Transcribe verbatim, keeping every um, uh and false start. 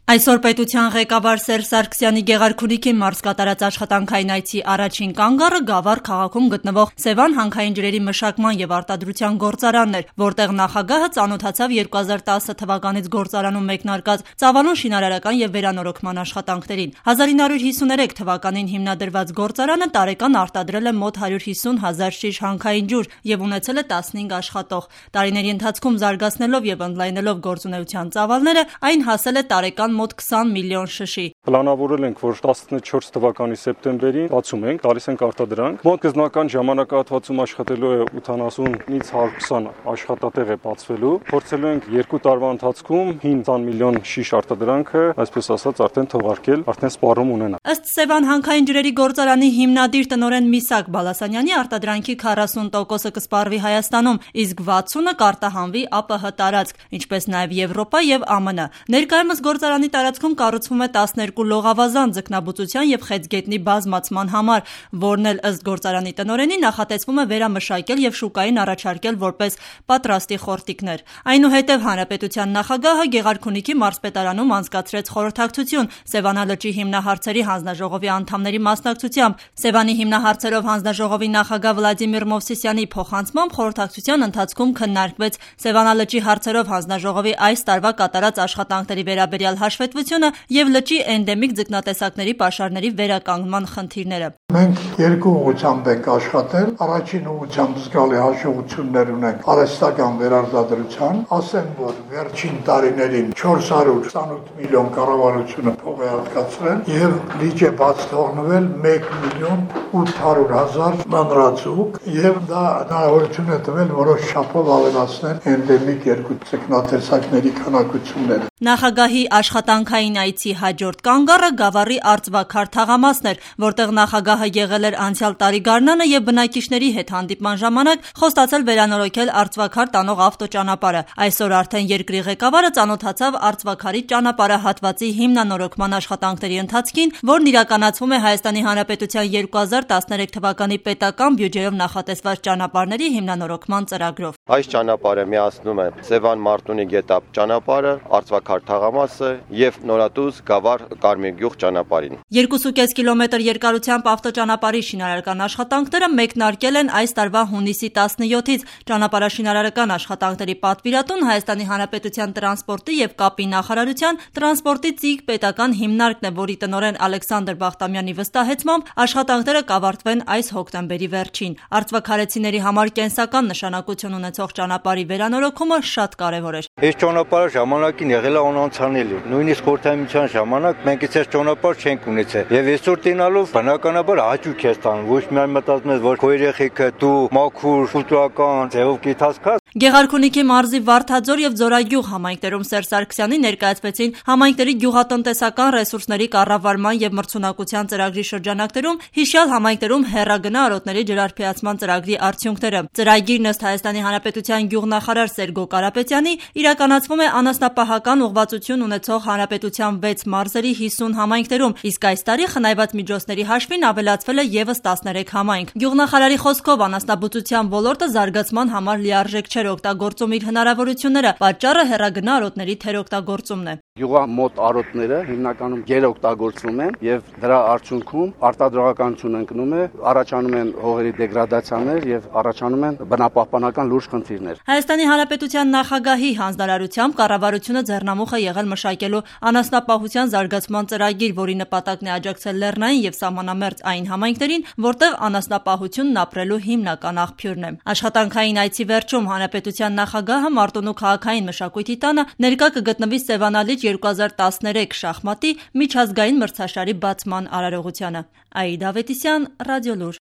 Այսօր պետության ղեկավար Սերժ Սարգսյանի Գեղարքունիքի մարզ կատարած աշխատանքային այցի առաջին կանգառը Գավառ քաղաքում գտնվող Սևան հանքային ջրերի մշակման եւ արտադրության գործարանն էր, որտեղ նախագահը ծանոթացավ երկու հազար տասը թվականից գործարանում մեկնարկած ծավալուն շինարարական եւ վերանորոգման աշխատանքներին։ հազար ինը հարյուր հիսուներեք թվականին հիմնադրված գործարանը տարեկան արտադրել է մոտ հարյուր հիսուն հազար շիշ հանքային ջուր եւ ունեցել է տասնհինգ աշխատող։ Տարիների ընթացքում զարգացնելով եւ ընդլայնելով գործունեության ծավալները, այն հասել է տարեկան մոտ քսան միլիոն շշի։ Պլանավորել ենք, որ տասնչորս թվականի սեպտեմբերին բացում ենք, տալիս ենք արտադրանք։ Մոտ գզնական ժամանակահատվածում աշխատելու է ութանասունից հարյուր քսան աշխատատեղ է բացվելու։ Փորձելու ենք երկու տարվա ընթացքում հինգ միլիոն շիշ արտադրանքը, այսպես ասած, արդեն թողարկել, արդեն սպառում ունենալ։ Ըստ Սևան հանքային ջրերի գործարանի հիմնադիր տնօրեն Միսակ Բալասանյանի, արտադրանքի քառասուն տոկոսը կսպառվի Հայաստանում, իսկ վաթսունը կարտահանվի ԱՊՀ տարածք, ինչպես նաև Եվրոպա եւ ԱՄՆ։ Ներկայումս գործարանի տարածքում կառուցվում է տասներկու լողավազան ձկնաբուծության եւ խեցգետնի բազմացման համար, որն էլ ըստ գործարանի տնօրենի նախատեսվում է վերամշակել եւ շուկային առաջարկել որպես պատրաստի խորտիկներ։ Այնուհետև հանրապետության նախագահը Գեղարքունիքի մարզպետարանում անցկացրեց խորհրդակցություն Սևանալճի հիմնահարցերի հանձնաժողովի անդամների մասնակցությամբ։ Սևանի հիմնահարցերով հանձնաժողովի նախագահ Վլադիմիր Մովսիսյանի փոխանցմամբ խորհրդակցության ընթացքում քննարկվեց Սևանալճի հարցերով հանձնաժողովի այս տարվա կատարած աշխատանքների վերաբերյալ հաշվետվությունը եւ լճի էնդեմիկ ձկնատեսակների պաշարների վերականգնման խնդիրները։ Մենք երկու ուղղությամբ ենք աշխատել։ Առաջին ուղղությամբ զգալի հաջողություններ ունենք արհեստական վերարտադրության, ասեմ, որ վերջին տարիներին չորս հարյուր քսանութ միլիոն կառավարությունը փող է հատկացրել եւ լիճ է բաց թողնվել մեկ միլիոն ութ հարյուր հազար մանրածուկ եւ դա հնարավորություն է տվել որոշ չափով ավելացնել էնդեմիկ երկու ձկնատեսակների քանակությունները։ Նախագահի աշխատանքային այցի հաջորդ կանգառը Գավառի Արծվաքար թաղամասն էր, որտեղ նախագահը եղել էր անցյալ տարի գարնանը եւ բնակիչների հետ հանդիպման ժամանակ խոստացել վերանորոգել Արծվաքար տանող ավտոճանապարհը։ Այսօր արդեն երկրի ղեկավարը ծանոթացավ Արծվաքարի ճանապարհահատվածի հիմնանորոգման աշխատանքների ընթացքին, որն իրականացվում է Հայաստանի Հանրապետության երկու հազար տասներեք թվականի պետական բյուջեով նախատեսված ճանապարհների հիմնանորոգման ծրագրով։ Այս ճանապարհը միացնում է Սևան Մարտունի գետապ ճանապարհը, Արծվաքար թաղամասը եւ Նորատուզ Գավառ Կարմիրգյուղ ճանապարհին։ երկու կես կիլոմետր երկարությամբ ավտոճանապարհի շինարարական աշխատանքները մեկնարկել են այս տարվա հունիսի տասնյոթից։ Ճանապարհաշինարարական աշխատանքների պատվիրատուն Հայաստանի Հանրապետության տրանսպորտի եւ կապի նախարարության տրանսպորտի ԾԻԳ պետական հիմնարկն է, որի տնօրեն Ալեքսանդր Բախտամյանի վստահեցմամբ աշխատանքները կավարտվեն այս հոկտեմբերի վերջին։ Արծվաքարեցիների համար կենսական նշանակություն ունեցող ճանապարհի վերանորոգումը շատ կարևոր էր։ Այս ճանապարհը ժամանակին եղել է անանցանելի։ Նույնիսկ խորհրդային ժամանակ մենք այս ճանապարհ չենք ունեցել։ Եվ այսօր տենալով բնականաբար հաճույք է ստանում։ Ոչ միայն մտածում ես, որ քո երեխեքը դու մաքուր, կուլտուրական ձևով գիտասքաս։ Գեղարքունիքի մարզի Վարդաձոր եւ Ձորագյուղ համայնքներում Սերժ Սարգսյանի ներկայացվեցին համայնքների գյուղատնտեսական ռեսուրսների կառավարման եւ մրցունակության ծրագրի շրջանակներում հիշյալ համայնքներում հեռագնա արոտների ջրարբիացման ծրագրի արդյունքները։ Ծրագիրն ըստ Հայաստանի Հանրապետության գյուղնախարար Սերգո Կարապետյանի իրականացվում է անասնապահական ուղղվածություն ունեցող հանրապետության վեց մարզերի հիսուն համայնքներում, իսկ այս տարի խնայված միջոցների հաշվին ավելացվել է եւս տասներեք համայնք։ Գյուղնախարարի խոսքով անասնաբուծության ոլորտը զարգացման համար լիարժեք չէր օգտագործում իր հնարավորությունները, պատճառը հեռագնա արոտների թերօգտագործումն է։ Գյուղամոտ արոտները հիմնականում գերօգտագործվում են եւ դրա արդյունքում արտադրողականություն ընկնում է, առաջանում են հողերի դեգրադացիաներ եւ առաջանում են բնապահպանական լուրջ խնդիրներ։ Հայաստանի Հանրապետության նախագահի հանձնարարությամբ կառավարությունը ձեռնամուխ է եղել մշակելու անասնապահության զարգացման ծրագիր, որի նպատակն է աջակցել լեռնային եւ սահմանամերձ այն համայնքներին, որտեղ անասնապահությունն ապրելու հիմնական աղբյուրն է։ Աշխատանքային այցի վերջում հանրապետության նախագահը Մարտունու քաղաքային մշակույթի տանը ներկա կգտնվի Սևանալիճ երկու հազար տասներեք շախմատի միջազգային մրցաշարի բացման արարողությանը։ Աիդա Ավետիսյան, Ռադիոլուր։